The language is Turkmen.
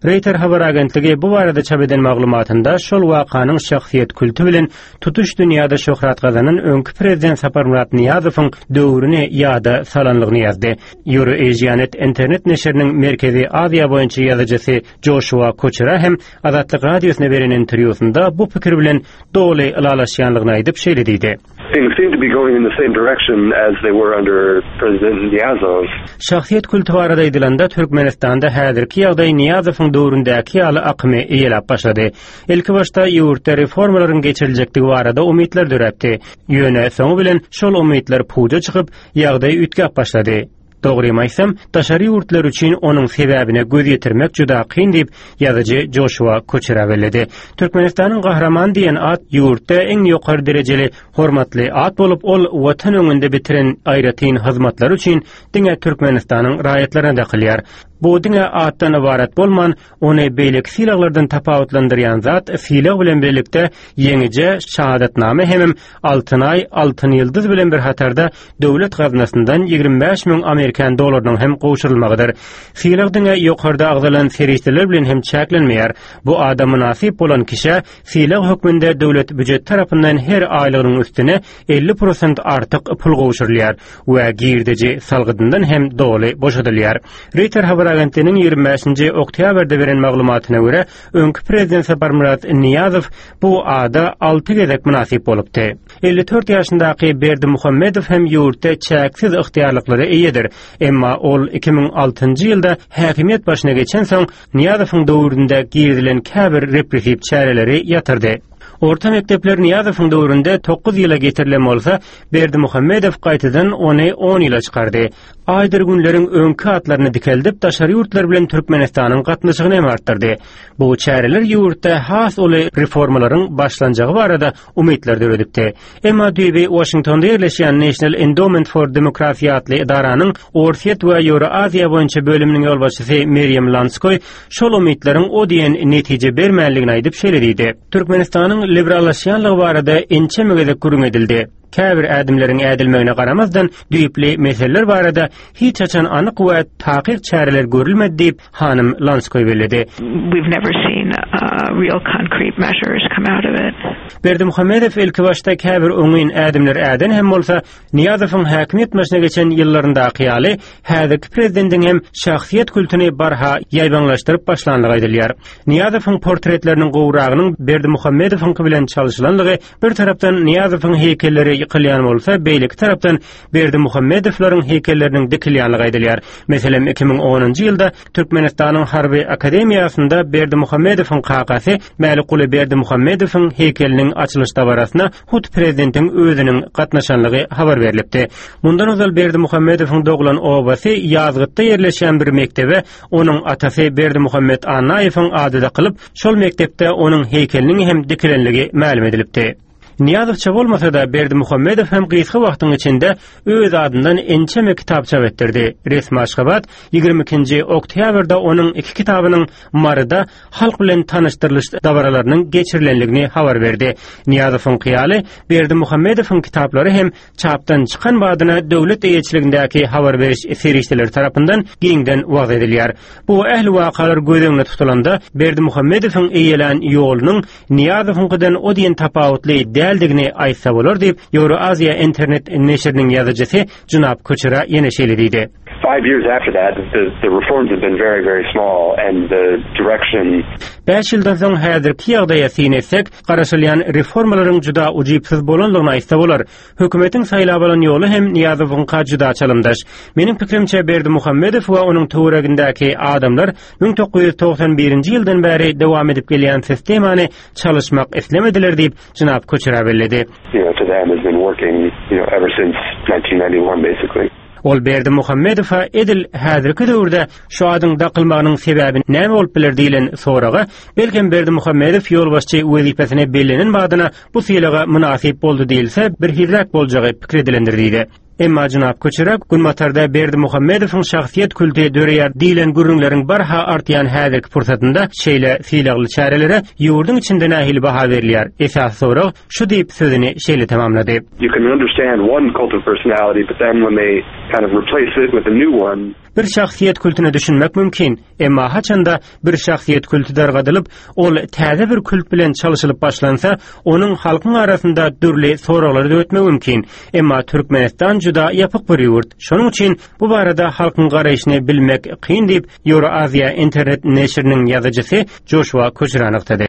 Reýter habar agentligi bu barada çap eden maglumatynda şol wakanyň şahsyýet külti bilen tutuş dünýäde şöhrat gazanan öňki prezident Saparmyrat Nyýazowyň döwrüni ýada salanlygyny ýazdy. Euroasianet internet neşiriniň Merkezi Aziýa boýunça ýazyjysy Joşua Koçera hem Azatlyk Radiosyna beren interwýusynda bu pikir bilen doly ylalaşýanlygyny aýdyp, şeýle diýdi. Things seem to be going in the same direction as they were under President Nyýazow. Şahsyýet kulty barada aýdylanda, Türkmenistanda häzirki ýagdaý Nyýazowyň döwründäki ýaly akymy eýeläp başlady. Ilkibaşda ýurtda reformalaryň geçiriljekdigi barada umytlar döräpdi. Ýöne soňy bilen şol umytlar puja çykyp, ýagdaý üýtgäp başlady. Dogrymy aýtsam, daşary ýurtlar üçin onuň sebäbine göz ýetirmek juda kyn diýip, ýazyjy Joşua Koçera belledi. Türkmenistanyň Gahrymany diýen at ýurtda iň ýokary derejeli hormatly at bolup, ol Watan öňünde bitiren aýratyn hyzmatlary üçin diňe Türkmenistanyň raýatlaryna dakylýar. Bu diňe atdan ybarat bolman, Ony beýleki sylaglardan tapawutlandyrýan zat sylag bilen birlikde ýeňijä şahadatnama hemem Altyn Aý, Altyn Ýyldyz bilen bir hatarda döwlet gaznasyndan 25 müň amerikan dollarynyň hem gowşurylmagydyr. Sylag diňe ýokarda agzalan serişdeler bilen hem çäklenmeýär. Bu ada mynasyp bolan kişä sylag hökmünde döwlet býujeti tarapyndan her aýlygynyň üstüne 50 prosent artyk pul gowşurylýar we girdeji salgydyndan hem doly boşadylýar. Reýter habar agentliginiň 25-nji oktýabrda beren maglumatyna görä, öňki prezident Saparmyrat Nyýazow bu ada alty gezek mynasyp bolupdy. 54 ýaşyndaky Berdimuhamedow hem ýurtda çäksiz ygtyýarlyklara eýedir. Emma ol 2006-njy ýylda häkimiýet başyna geçensoň, Nyýazowyň döwründe girizilen käbir repressiw çäreleri ýatyrdy. Orta mekdepler Nyýazowyň döwründe 9 ýyla getirilen bolsa, Berdimuhamedow gaýtadan ony 10 ýyla çykardy. Aýdyr günleriň öňki atlaryny dikeldip, daşary ýurtlar bilen Türkmenistanyň gatnaşygyny hem artdyrdy. Bu çäreler ýurtda has uly reformalaryň başlanjagy barada umytlar döredipdi. Emma düýbi Waşingtonda ýerleşýän National Endowment for Democracy atly edaranyň Orsýet we Ýewroaziýa boýunça bölüminiň ýolbaşçysy Merýem Lanskoý şol umytlaryň o diýen netije bermänligini aýdyp şeýle diýdi, Türkmenistanyň liberallaşýanlygy barada ençeme gezek gürrüň edildi. Käbir ädimleriň ädilmegine garamazdan, düýpli meseleler barada hiç haçan anyk we takyk çäreler görülmedi diýip, hanym Lanskoý belledi. We've never seen real concrete measures come out of it. Berdimuhamedow ilkibaşda käbir oňyn ädimler äden hem bolsa, Nyýazowyň häkimiýet başyna geçen ýyllaryndaky ýaly, häzirki prezidentiň hem şahsyýet kultuny barha ýaýbaňlaşdyryp başlandygy aýdylýar. Nyýazowyň portretleriniň gowragynyň Berdimuhamedowyňky bilen çalşylandygy bir tarapdan Nyýazowyň heýkelleri ýykylýan bolsa, beýleki tarapdan Berdimuhamedowlaryň heýkelleriniň dikilýänligi aýdylýar. Meselem, 2010-njy ýylda Türkmenistanyň Harby akademiýasynda Berdimuhamedowyň kakasy Mälikguly Berdimuhamedowyň heýkeliniň açylyş dabarasyna hut prezidentiň özüniň gatnaşanlygy habar berlipdi. Mundan ozal Berdimuhamedowyň doglan obasy Ýazgytda ýerleşýän bir mekdebe onuň atasy Berdimuhamet Annaýewiň ady dakylyp, şol mekdepde onuň heýkeliniň hem dikilenligi mälim edilipdi. Nyýazowça bolmasa-da, Berdimuhamedow hem gysga wagtyň içinde öz adyndan ençeme kitap çap etdirdi. Resmi Aşgabat 22-nji oktýabrda onuň iki kitabynyň Maryda halk bilen tanyşdyrylyş dabaralarynyň geçirilenligini habar berdi. Nyýazowyňky ýaly, Berdimuhamedowyň kitaplary hem çapdan çykan badyna döwlet eýeçiligindäki habar beriş serişdeleri tarapyndan giňden wagyz edilýär. Bu ähli wakalar göz öňünde tutulanda, Berdimuhamedowyň eýelän ýolunyň Nyýazowyňkydan o diýen tapawutly däldigini aýtsa bolar diýip, Ýewroaziýa internet neşiriniň ýazyjysy Junap Koçera ýene şeýle diýdi. Five years after that, the, the reforms have been very, very small and the direction Bäş ýyldan soň häzirki ýagdaýa syn etsek, garaşylýan reformalaryň juda ujypsyz bolandygyny aýtsa bolar. Hökümetiň saýlap alan ýoly hem Nyýazowyňka juda çalymdaş. Meniň pikirimçe, Berdimuhamedow we onuň töweregindäki adamlar 1991-nji ýyldan bäri dowam edip gelýän sistemany çalyşmak islemediler diýip, jenap Kuçera belledi. Ol Berdimuhamedowa edil häzirki döwürde şu adyň dakylmagynyň sebäbi näme bolup biler diýlen soraga, belkem Berdimuhamedow ýolbaşçy wezipesine bellenen badyna bu sylaga mynasyp boldy diýilse, birhiliräk boljagy pikir edilendir diýdi. Emma jenap Kuçera Günbatarda Berdimuhamedowyň şahsyýet kulty döreýär diýlen gürrüňleriň barha artýan häzirki pursatynda şeýle sylagly çärelere ýurduň içinde nähili baha berilýär? Esasy sorag şu diýip sözüni şeýle tamamlady. You can understand one cult of personality, but then when they kind of replace it with a new one. Bir şahsyýet kültüne düşünmek mümkin, emma haçanda bir şahsyýet külti dargadylyp, ol täze bir kult bilen çalşylyp başlansa, onuň halkyň arasynda dürli soraglary döretmegi mümkin. Emma Türkmenistan juda ýapyk bir ýurt. Şonuň üçin bu barada halkyň garaýşyny bilmek kyn diýip, Ýewroaziýa internet neşiriniň ýazyjysy Joşua Köçra nygtady.